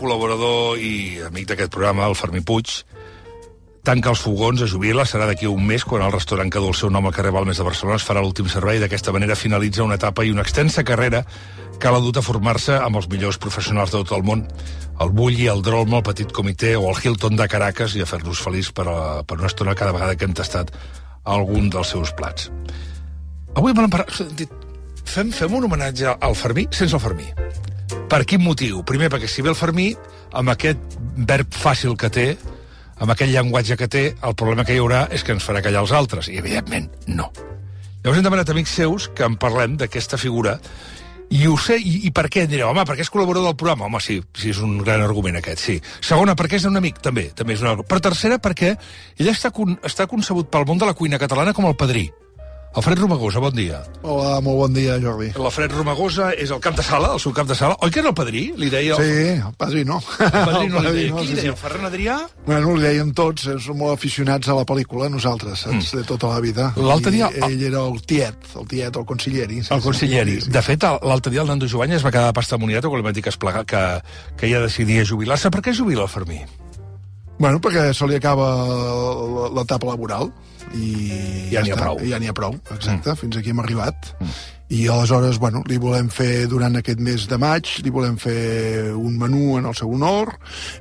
col·laborador i amic d'aquest programa, el Fermí Puig, tanca els fogons, es jubila, serà d'aquí un mes, quan el restaurant que du el seu nom al carrer Balmes de Barcelona es farà l'últim servei. D'aquesta manera finalitza una etapa i una extensa carrera que l'ha dut a formar-se amb els millors professionals de tot el món, el Bulli, el Drolma, el Petit Comitè o el Hilton de Caracas, i a fer-nos feliç per una estona cada vegada que hem tastat algun dels seus plats. Avui me n'hem parlat... Fem un homenatge al Fermí sense el Fermí. Per quin motiu? Primer, perquè si ve el Fermí, amb aquest verb fàcil que té, amb aquell llenguatge que té, el problema que hi haurà és que ens farà callar els altres. I, evidentment, no. Llavors hem demanat amics seus que en parlem d'aquesta figura, i ho sé, i per què? Direu, home, perquè és col·laborador del programa. Home, sí, és un gran argument aquest, sí. Segona, perquè és un amic, també és un argument. Però tercera, perquè ell està concebut pel món de la cuina catalana com el padrí. Alfred Romagosa, bon dia. Hola, molt bon dia, Jordi. L'Alfred Romagosa és el cap de sala, el seu cap de sala. Oi que era el padrí? Li deia... Sí, el padrí no. El padrí no li deia. Qui li deia? El Ferran Adrià? Bueno, li deien tots, som molt aficionats a la pel·lícula, nosaltres, saps, de tota la vida. L'altre dia... Ell era el tiet, el consiglieri. El consiglieri. De fet, l'altre dia el Nando Jovany es va quedar de pasta moniato quan li van dir que ja decidia jubilar-se. Per què jubila el Fermí? Bueno, perquè se li acaba l'etapa laboral i ja n'hi ha prou. Ja n'hi ha prou, exacte, fins aquí hem arribat. I aleshores, bueno, li volem fer durant aquest mes de maig, li volem fer un menú en el seu honor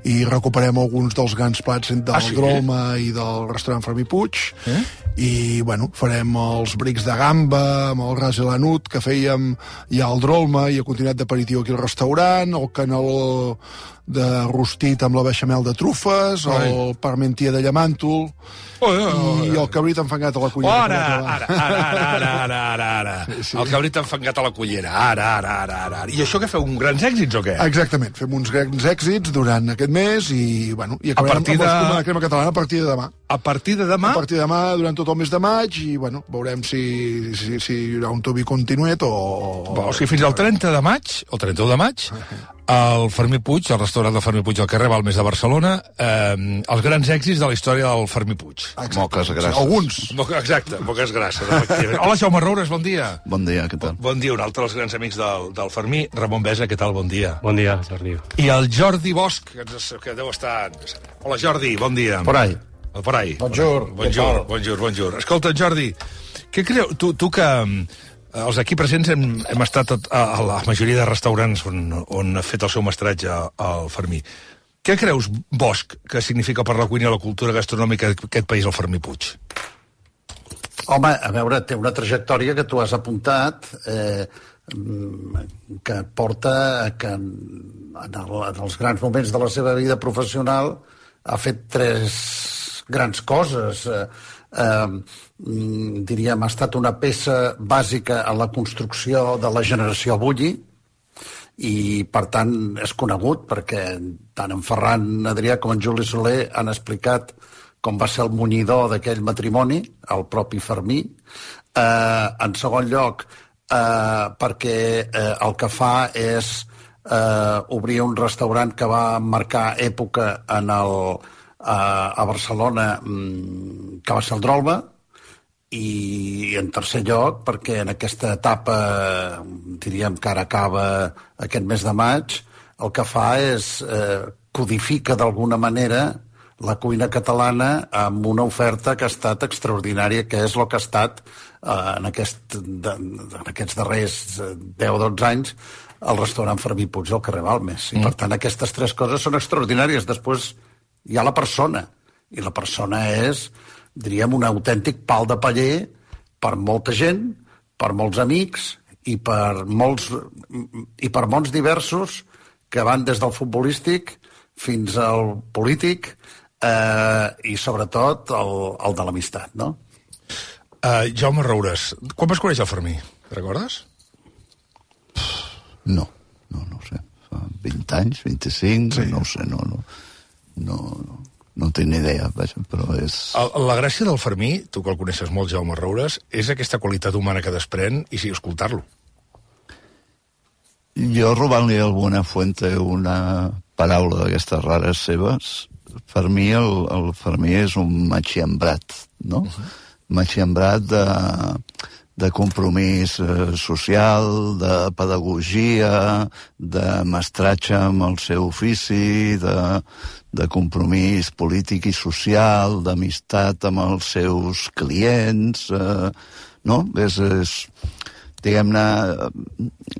i recuperem alguns dels grans plats del Drolma i del restaurant Fermí Puig i, bueno, farem els brics de gamba amb el ras i l'anut que fèiem ja al Drolma i ha continuat d'aperitiu aquí al restaurant, el caneló de rostit amb la beixamel de trufes, el parmentier de llamàntol i el cabrit enfangat a la cullera. Ara. El cabrit enfangat a la cullera. Ara. I això què feu, uns grans èxits o què? Exactament, fem uns grans èxits durant aquest mes i, bueno, i acabarem amb la crema catalana a partir de demà. A partir de demà? A partir de demà, durant tot el mes de maig, i, bueno, veurem si hi haurà un Tobi continuet o... O sigui, fins al 30 de maig, el 31 de maig, el Fermí Puig, el restaurant del Fermí Puig al carrer Balmes de Barcelona, els grans èxits de la història del Fermí Puig. Moques grasses. Alguns. Exacte, moques grasses, efectivament. Hola, Jaume Roures, bon dia. Bon dia, què tal? Bon dia, un altre dels grans amics del Fermí. Ramon Besa, què tal, bon dia. Bon dia, Jordi. I el Jordi Bosch, que deu estar... Hola, Jordi, bon dia. Por ahí. Por ahí. Bonjour. Escolta, Jordi, què creu... Tu que... Els aquí presents hem estat a la majoria de restaurants on ha fet el seu mestratge al Fermí. Què creus, Bosch, que significa per la cuina i la cultura gastronòmica d'aquest país el Fermí Puig? Home, a veure, té una trajectòria que tu has apuntat que porta que en els grans moments de la seva vida professional ha fet 3 grans coses. Diríem, ha estat una peça bàsica en la construcció de la generació Bulli i, per tant, és conegut perquè tant en Ferran Adrià com en Juli Soler han explicat com va ser el munyidor d'aquell matrimoni, el propi Fermí. En segon lloc, perquè el que fa és obrir un restaurant que va marcar època a Barcelona, que va ser el Drolma, i en tercer lloc perquè en aquesta etapa, diríem que ara acaba aquest mes de maig, el que fa és codifica d'alguna manera la cuina catalana amb una oferta que ha estat extraordinària, que és el que ha estat en aquests darrers 10-12 anys el restaurant Fermí Puig al carrer Balmes. I per tant aquestes 3 coses són extraordinàries. Després hi ha la persona, i la persona és, diríem, un autèntic pal de paller per molta gent, per molts amics i per mons diversos que van des del futbolístic fins al polític i sobretot el de l'amistat, no? Jaume Roures, quan vas conèixer el Fermí? Recordes? No ho sé. Fa 20 anys, 25, no ho sé, no tinc ni idea, però és... La gràcia del Fermí, tu que el coneixes molt, Jaume Roures, és aquesta qualitat humana que desprèn i sí, escoltar-lo. Jo, robant-li a alguna fuente una paraula d'aquestes rares seves, per mi el Fermí és un matxembrat, no? Matxembrat compromís social, de pedagogia, de mestratge amb el seu ofici, de compromís polític i social, d'amistat amb els seus clients, no? Diguem-ne,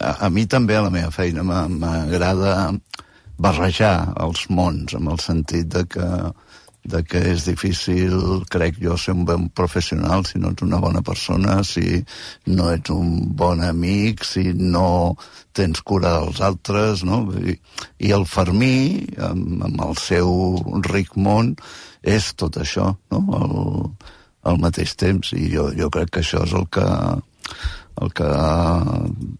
a mi també a la meva feina m'agrada barrejar els mons, en el sentit de que és difícil, crec jo, ser un bon professional si no ets una bona persona, si no ets un bon amic, si no tens cura dels altres, no? I el Fermí, amb el seu ric món, és tot això, no? Al mateix temps, i jo crec que això és el que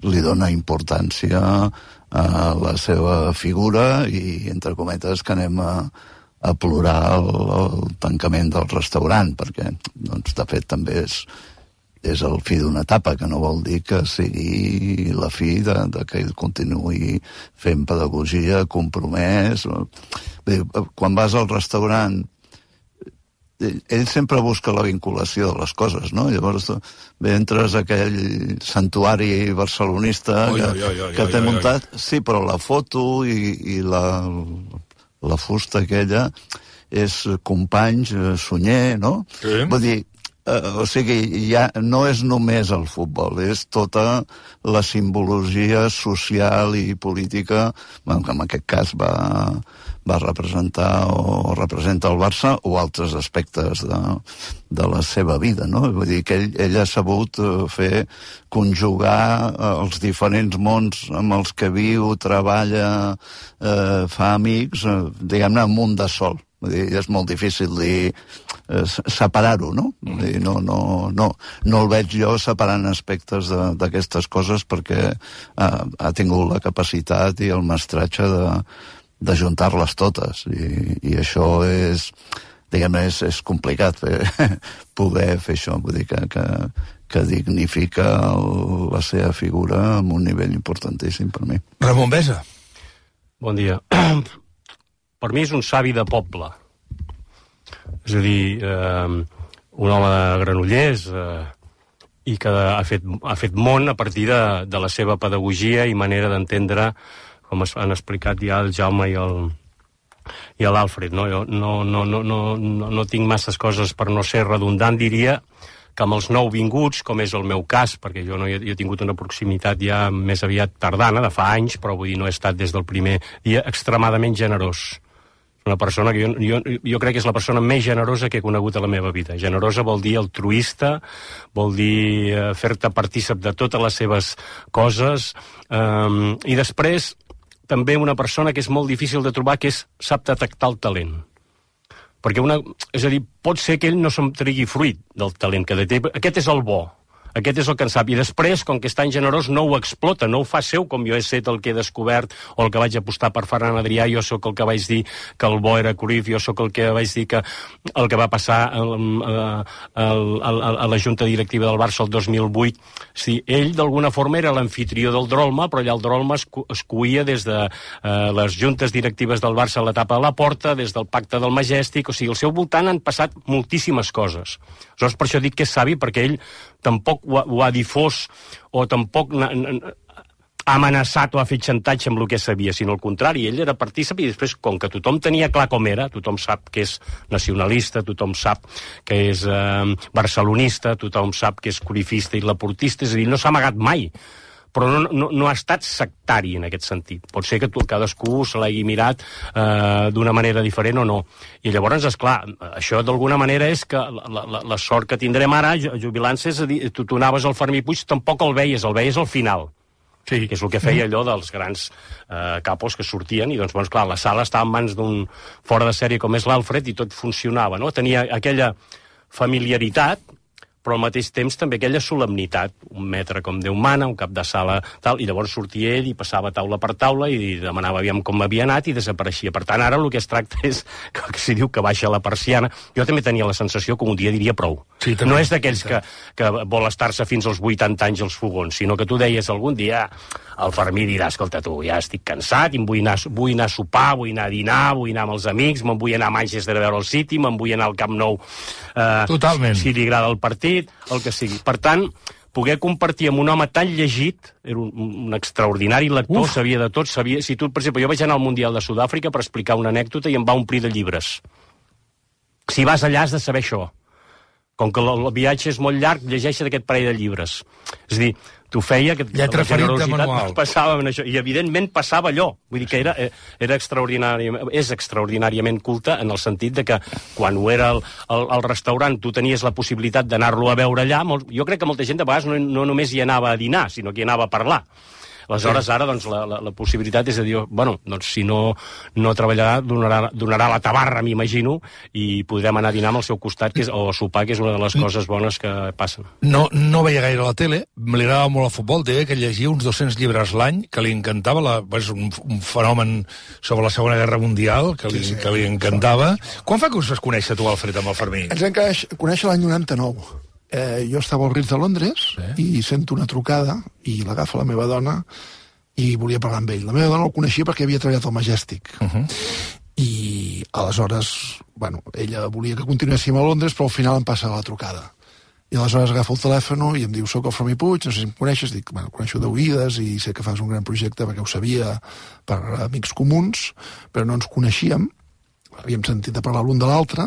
li dona importància a la seva figura i, entre cometes, que anem a plorar el tancament del restaurant, perquè, doncs, de fet, també és el fi d'una etapa, que no vol dir que sigui la fi de que ell continuï fent pedagogia, compromès. Quan vas al restaurant, ell sempre busca la vinculació de les coses, no? Llavors entres a aquell santuari barcelonista que té muntat. Sí, però la foto i la fusta aquella és Companys, Sunyer, no? Sí. Vull dir, o sigui, ja no és només el futbol, és tota la simbologia social i política, bueno, que en aquest cas va representar o representa el Barça o altres aspectes de la seva vida, no? Vull dir que ell ha sabut conjugar els diferents mons amb els que viu, treballa, fa amics, diguem-ne, en un de sol. Vull dir, és molt difícil separar-ho, no? Vull dir, no el veig jo separant aspectes d'aquestes coses perquè ha tingut la capacitat i el mestratge de juntar-les totes, i això és, diguem-ne, és complicat poder fer això. Vull dir que dignifica la seva figura amb un nivell importantíssim per mi. Ramon Besa. Bon dia. Per mi és un savi de poble. És a dir, un home de Granollers i que ha fet món a partir de la seva pedagogia i manera d'entendre, com han explicat ja el Jaume i l'Alfred. No? Jo no tinc masses coses per no ser redundant, diria que amb els nouvinguts, com és el meu cas, perquè jo he tingut una proximitat ja més aviat tardana, de fa anys, però vull dir, no he estat des del primer dia, extremadament generós. Una persona que jo crec que és la persona més generosa que he conegut a la meva vida. Generosa vol dir altruista, vol dir fer-te partícip de totes les seves coses, i després també una persona que és molt difícil de trobar, que sap detectar el talent. Perquè és a dir, pot ser que ell no se'n tregui fruit del talent que té. Aquest és el bo. Aquest és el que en sap. I després, com que és tan generós, no ho explota, no ho fa seu, com jo he set el que he descobert, o el que vaig apostar per Ferran Adrià, jo sóc el que vaig dir que el bo era Cruyff, jo sóc el que vaig dir que el que va passar a la Junta Directiva del Barça el 2008. Sí, ell, d'alguna forma, era l'amfitrió del Drolma, però allà el Drolma es cuia des de les juntes directives del Barça a l'etapa de la Porta, des del pacte del Majestic, o sigui, al seu voltant han passat moltíssimes coses. Aleshores, per això dic que és savi, perquè ell tampoc ho ha difós o tampoc ha amenaçat o ha fet xantatge amb el que sabia, sinó al contrari, ell era partícip i després, com que tothom tenia clar com era, tothom sap que és nacionalista, tothom sap que és barcelonista, tothom sap que és cruyffista i laportista, és a dir, no s'ha amagat mai, però no ha estat sectari en aquest sentit. Pot ser que cadascú se l'hagi mirat d'una manera diferent o no. I llavors, esclar, això d'alguna manera és que la sort que tindrem ara, jubilant-se, és a dir, tu anaves al Fermí Puig, tampoc el veies al final. Sí. Que és el que feia allò dels grans capos que sortien, i doncs, bueno, clar, la sala estava en mans d'un fora de sèrie com és l'Alfred i tot funcionava, no? Tenia aquella familiaritat, però al mateix temps també aquella solemnitat, un metre com Déu mana, un cap de sala, tal, i llavors sortia ell i passava taula per taula i demanava aviam com havia anat i desapareixia. Per tant, ara el que es tracta és que si diu que baixa la persiana. Jo també tenia la sensació que un dia diria prou. Sí, no és d'aquells que vol estar-se fins als 80 anys als fogons, sinó que tu deies algun dia, el Fermí dirà, escolta tu, ja estic cansat, i vull anar a sopar, vull anar a dinar, vull anar amb els amics, me'n vull anar a Manchester a veure el City, me'n vull anar al Camp Nou, totalment. Si li agrada el partit, el que sigui. Per tant, poder compartir amb un home tan llegit, era un extraordinari lector, sabia de tot, si tu, per exemple, jo vaig anar al Mundial de Sud-àfrica per explicar una anècdota i em va omplir de llibres. Si vas allà has de saber això. Com que el viatge és molt llarg, llegeixa't aquest parell de llibres. És a dir, t'ho feia que lletra ferita manual. Passava en això, i evidentment passava allò. Vull dir que era extraordinàriament culte en el sentit de que quan ho era al restaurant tu tenies la possibilitat d'anar-lo a veure allà. Jo crec que molta gent de vegades no només hi anava a dinar, sinó que hi anava a parlar. Aleshores, ara, doncs, la possibilitat és de dir, bueno, doncs, si no treballarà, donarà la tabarra, m'imagino, i podrem anar a dinar amb el seu costat, o a sopar, que és una de les coses bones que passen. No veia gaire la tele, li agradava molt el futbol, deia que llegia uns 200 llibres l'any, que li encantava, és un fenomen sobre la Segona Guerra Mundial, que li encantava. Quan fa que us vas conèixer, tu, Alfred, amb el Fermí? Ens vam conèixer l'any 99. Jo estava al Ritz de Londres i sento una trucada i l'agafa la meva dona i volia parlar amb ell. La meva dona el coneixia perquè havia treballat al Majestic. I aleshores, bueno, ella volia que continuéssim a Londres, però al final em passa la trucada. I aleshores agafa el telèfon i em diu, soc el Fermí Puig, no sé si em coneixes. Dic, bueno, coneixo d'oïdes i sé que fas un gran projecte perquè ho sabia per amics comuns, però no ens coneixíem. Havíem sentit a parlar l'un de l'altre.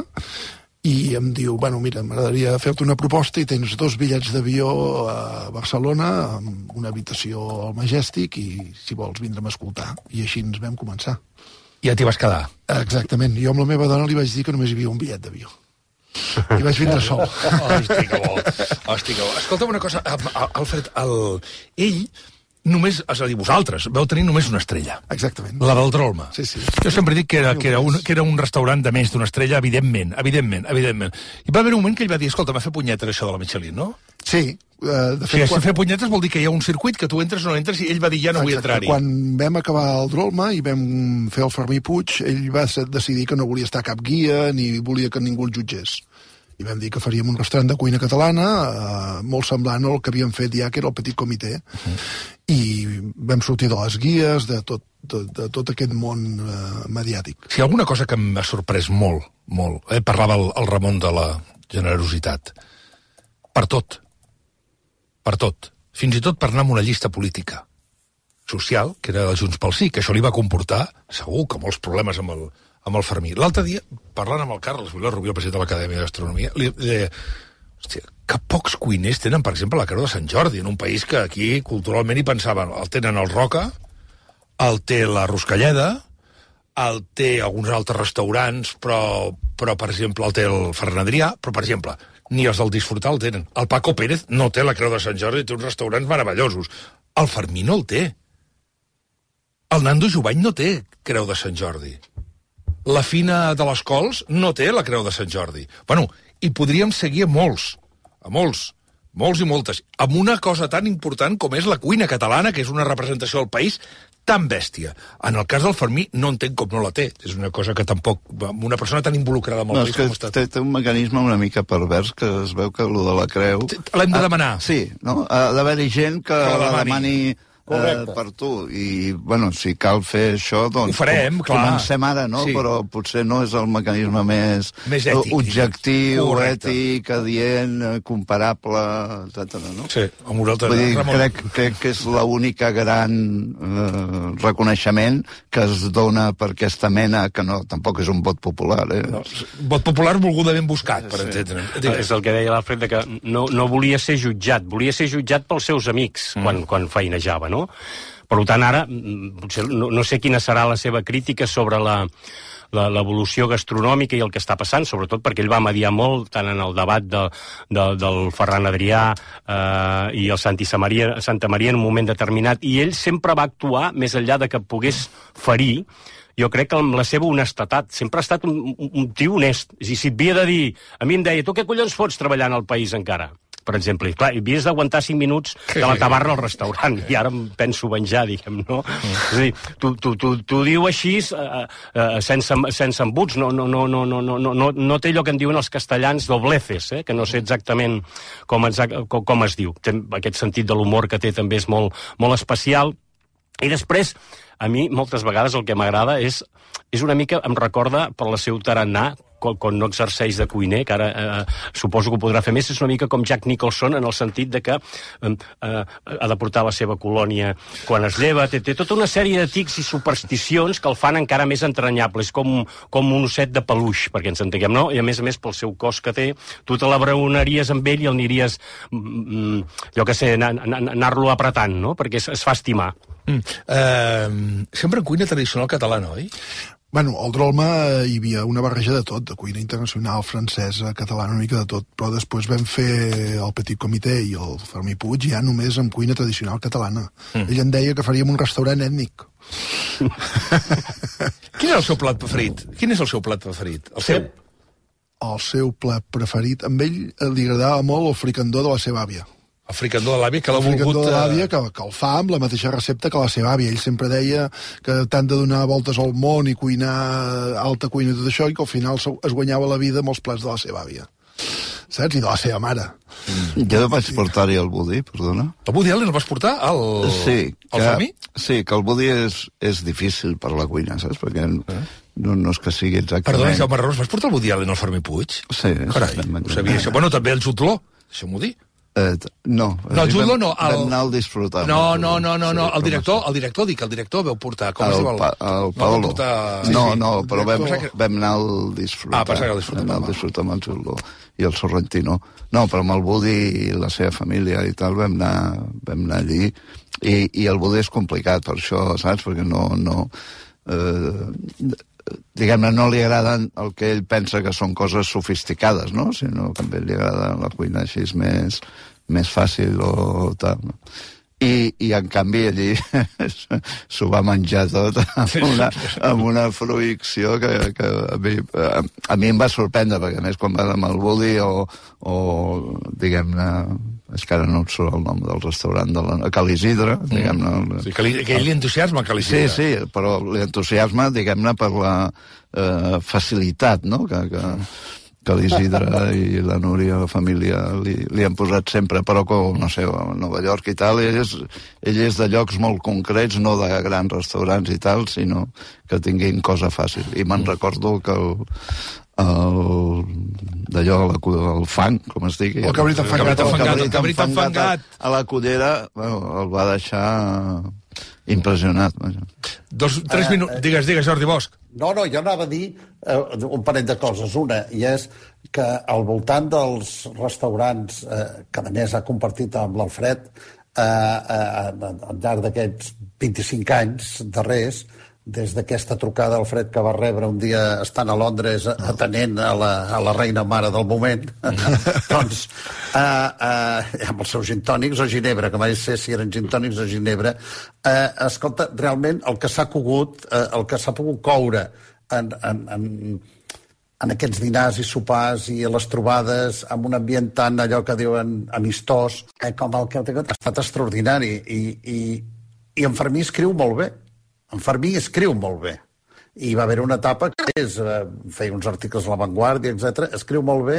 I em diu, bueno, mira, m'agradaria fer-te una proposta i tens 2 bitllets d'avió a Barcelona amb una habitació al Majestic i si vols vindre'm a escoltar. I així ens vam començar. Ja t'hi vas quedar. Exactament. Jo amb la meva dona li vaig dir que només hi havia un bitllet d'avió. I vaig vindre sol. Hosti, que bo. Escolta'm una cosa, Alfred, ell només, és a dir, vosaltres veu tenir només una estrella. Exactament. La del Drolma. Sí. Jo sempre dic que era un restaurant de més d'una estrella, evidentment. I va haver un moment que ell va dir, escolta, m'ha fet punyetes això de la Michelin, no? Sí. De fet, si fer punyetes vol dir que hi ha un circuit que tu entres o no entres i ell va dir, ja no vull entrar-hi. Quan vam acabar el Drolma i vam fer el Fermí Puig, ell va decidir que no volia estar cap guia ni volia que ningú el jutgés. I vam dir que faríem un restaurant de cuina catalana molt semblant al que havíem fet ja, que era el Petit Comitè. I vam sortir de les guies, de tot aquest món mediàtic. Si alguna cosa que m'ha sorprès molt, parlava el Ramon de la generositat. Per tot. Fins i tot per anar amb una llista política social, que era de Junts pel Sí, que això li va comportar, segur, que molts problemes amb el Fermí. L'altre dia, parlant amb el Carles Villar-Rubio, el president de l'Acadèmia de Gastronomia, li deia, hòstia, que pocs cuiners tenen, per exemple, la Creu de Sant Jordi, en un país que aquí, culturalment, hi pensaven, el tenen el Roca, el té la Ruscalleda, el té alguns altres restaurants, però per exemple, el té el Ferran Adrià, però, per exemple, ni els del Disfrutar el tenen. El Paco Pérez no té la Creu de Sant Jordi, té uns restaurants meravellosos. El Fermí no el té. El Nando Jubany no té Creu de Sant Jordi. La Fina de les Cols no té la Creu de Sant Jordi. Bueno, i podríem seguir a molts i moltes, amb una cosa tan important com és la cuina catalana, que és una representació del país tan bèstia. En el cas del Fermí no entenc com no la té. És una cosa que tampoc, una persona tan involucrada amb el país com està. Té un mecanisme una mica pervers, que es veu que allò de la creu... L'hem de demanar. Sí, no? Ha d'haver-hi gent que la demani... per tu, i bueno, si cal fer això, doncs ho farem, clar. Comencem ara, no? Sí. Però potser no és el mecanisme més ètic, objectiu, ètic, adient, comparable, etc. No? Sí, amb vosaltres. Vull dir, crec que és l'única gran reconeixement que es dona per aquesta mena, que no, tampoc és un vot popular. No, vot popular volgudament buscat, per entendre. És el que deia l'Alfred, que no volia ser jutjat, volia ser jutjat pels seus amics quan feinejava, no? Per tant, ara, potser no sé quina serà la seva crítica sobre l'evolució gastronòmica i el que està passant, sobretot perquè ell va mediar molt tant en el debat del Ferran Adrià i el Santa Maria en un moment determinat, i ell sempre va actuar, més enllà de que pogués ferir, jo crec que amb la seva honestedat, sempre ha estat un tio honest. És a dir, si et havia de dir, a mi em deia, tu què collons fots treballant al país encara? Per exemple, i clar, havies d'aguantar 5 minuts de la tabarra al restaurant, i ara em penso venjar, diguem, no? És a dir, tu diu així sense embuts, no té allò que en diuen els castellans dobleces, que no sé exactament com es diu. Té aquest sentit de l'humor que té també és molt especial. I després, a mi, moltes vegades, el que m'agrada és una mica, em recorda per la seu tarannà, quan no exerceix de cuiner, que ara suposo que ho podrà fer més, és una mica com Jack Nicholson, en el sentit de que ha de portar la seva colònia quan es lleva, té tota una sèrie de tics i supersticions que el fan encara més entranyable, és com un osset de peluix, perquè ens entenguem, no? I a més, pel seu cos que té, tu te l'abraonaries amb ell i el aniries, jo què sé, anar-lo apretant, no? Perquè es fa estimar. Sempre en cuina tradicional catalana, oi? Bueno, al Drolma hi havia una barreja de tot, de cuina internacional, francesa, catalana, una mica de tot, però després vam fer el Petit Comitè i el Fermí Puig ja només amb cuina tradicional catalana. Ell em deia que faríem un restaurant ètnic. Quin és el seu plat preferit? Quin és el seu plat preferit? El seu? El seu plat preferit, amb ell li agradava molt el fricandó de la seva àvia. El fricandó de l'àvia, que l'ha volgut... El fricandó de l'àvia, que el fa amb la mateixa recepta que la seva àvia. Ell sempre deia que tant de donar voltes al món i cuinar alta cuina i tot això, i que al final es guanyava la vida amb els plats de la seva àvia. Saps? I de la seva mare. Jo vaig portar-hi el budí, perdona. El budí el vas portar al Fermí? Sí, que el budí és difícil per la cuina, saps? Perquè no és que sigui exactament... Perdona, Jaume Ros, vas portar el budí al Fermí Puig? Sí. Carai, ho sabia això. Bueno, també el Jutló, deixa'm-ho dir. No, Jutló no. Vam anar al disfrutar. No, el director veu portar. Com es diu el Paolo. No, però vam anar al disfrutar. Pensava que el disfrutar. Vam anar al disfrutar amb el Jutló i el Sorrentino. No, però amb el Budi i la seva família i tal vam anar allí i el Budi és complicat per això, saps? Perquè no diguem-ne, no li agraden el que ell pensa que són coses sofisticades, no? Sinó que a ell li agrada la cuina així més fàcil o tal, no? I en canvi allí s'ho va menjar tot amb una fruïcció que a mi em va sorprendre, perquè a més quan va amb el Budi o diguem-ne, és que ara no et surt el nom del restaurant de Cal Isidre, diguem-ne. Sí, que ell li entusiasma, Cal Isidre. Sí, però li entusiasma, diguem-ne, per la facilitat, no?, que l'Isidre i la Núria, la família, li han posat sempre, però com, no sé, a Nova York i tal, ell és de llocs molt concrets, no de grans restaurants i tal, sinó que tinguin cosa fàcil. I me'n recordo que d'allò, el fang, com es digui... El cabrit enfangat. A la cullera, el va deixar impressionat. 3 minuts. Digues, Jordi Bosch. No, jo anava a dir un parell de coses. Una, i és que al voltant dels restaurants que a més ha compartit amb l'Alfred al llarg d'aquests 25 anys darrers, des d'aquesta trucada Alfred que va rebre un dia estant a Londres atenent a la reina mare del moment, doncs amb els seus gintònics o ginebra, que mai sé si eren gintònics o ginebra, escolta, realment el que s'ha cogut, el que s'ha pogut coure en aquests dinars i sopars i les trobades amb un ambient tan allò que diuen amistós com el que ha estat extraordinari i en Fermí escriu molt bé. En Fermí escriu molt bé. I va haver una etapa que feia uns articles a La Vanguardia, etc. Escriu molt bé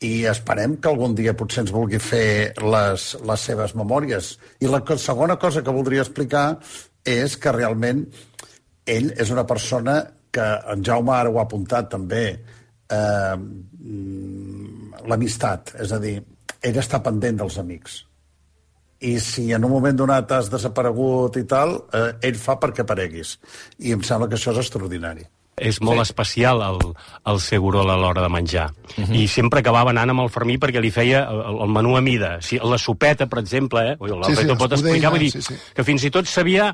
i esperem que algun dia potser ens vulgui fer les seves memòries. I la segona cosa que voldria explicar és que realment ell és una persona que en Jaume ara ho ha apuntat també, l'amistat, és a dir, ell està pendent dels amics. I si en un moment donat has desaparegut i tal, ell fa perquè apareguis. I em sembla que això és extraordinari. És molt especial el Segurol a l'hora de menjar. I sempre acabava anant amb el Fermí perquè li feia el menú a mida. La sopeta, per exemple, l'Alfred ho pot explicar, vull dir que fins i tot sabia...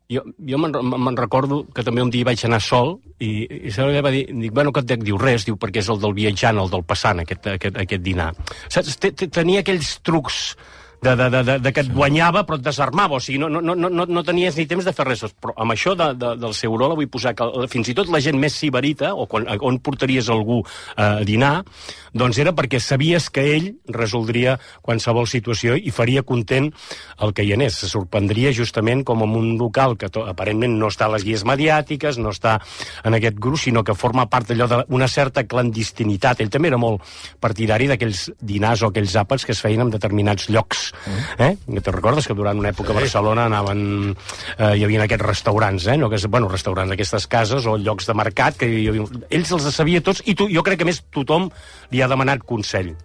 Jo me'n recordo que també un dia vaig anar sol i se va dir, bueno, què et dec? Diu, res, diu, perquè és el del viatjant, el del passant, aquest dinar. Saps? Tenia aquells trucs de que et guanyava però et desarmava, o sigui, no tenies ni temps de fer res. Però amb això del Segurola vull posar que fins i tot la gent més sibarita, o on portaries algú a dinar, doncs era perquè sabies que ell resoldria qualsevol situació i faria content el que hi anés. Se sorprendria justament com en un local que aparentment no està a les guies mediàtiques, no està en aquest grup, sinó que forma part d'allò d'una certa clandestinitat. Ell també era molt partidari d'aquells dinars o aquells àpats que es feien en determinats llocs Jocs. Te'n recordes que durant una època a Barcelona anaven... hi havia aquests restaurants, no? Restaurants, aquestes cases o llocs de mercat, que hi havia... Ells els sabia tots, i jo crec que més tothom li ha demanat consell.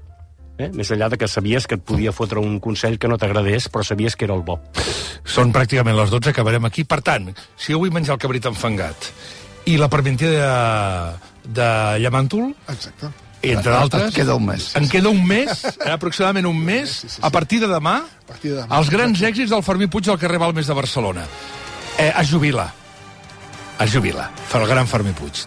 Més enllà de que sabies que et podia fotre un consell que no t'agradés, però sabies que era el bo. Són pràcticament les 12, acabarem aquí. Per tant, si jo vull menjar el cabrit enfangat i la parmentier de llamàntol... Exacte. Entre d'altres... Et queda un mes. En queda un mes, aproximadament un mes, a partir de demà, els grans èxits del Fermí Puig al carrer Balmes de Barcelona. Es jubila. Fa el gran Fermí Puig.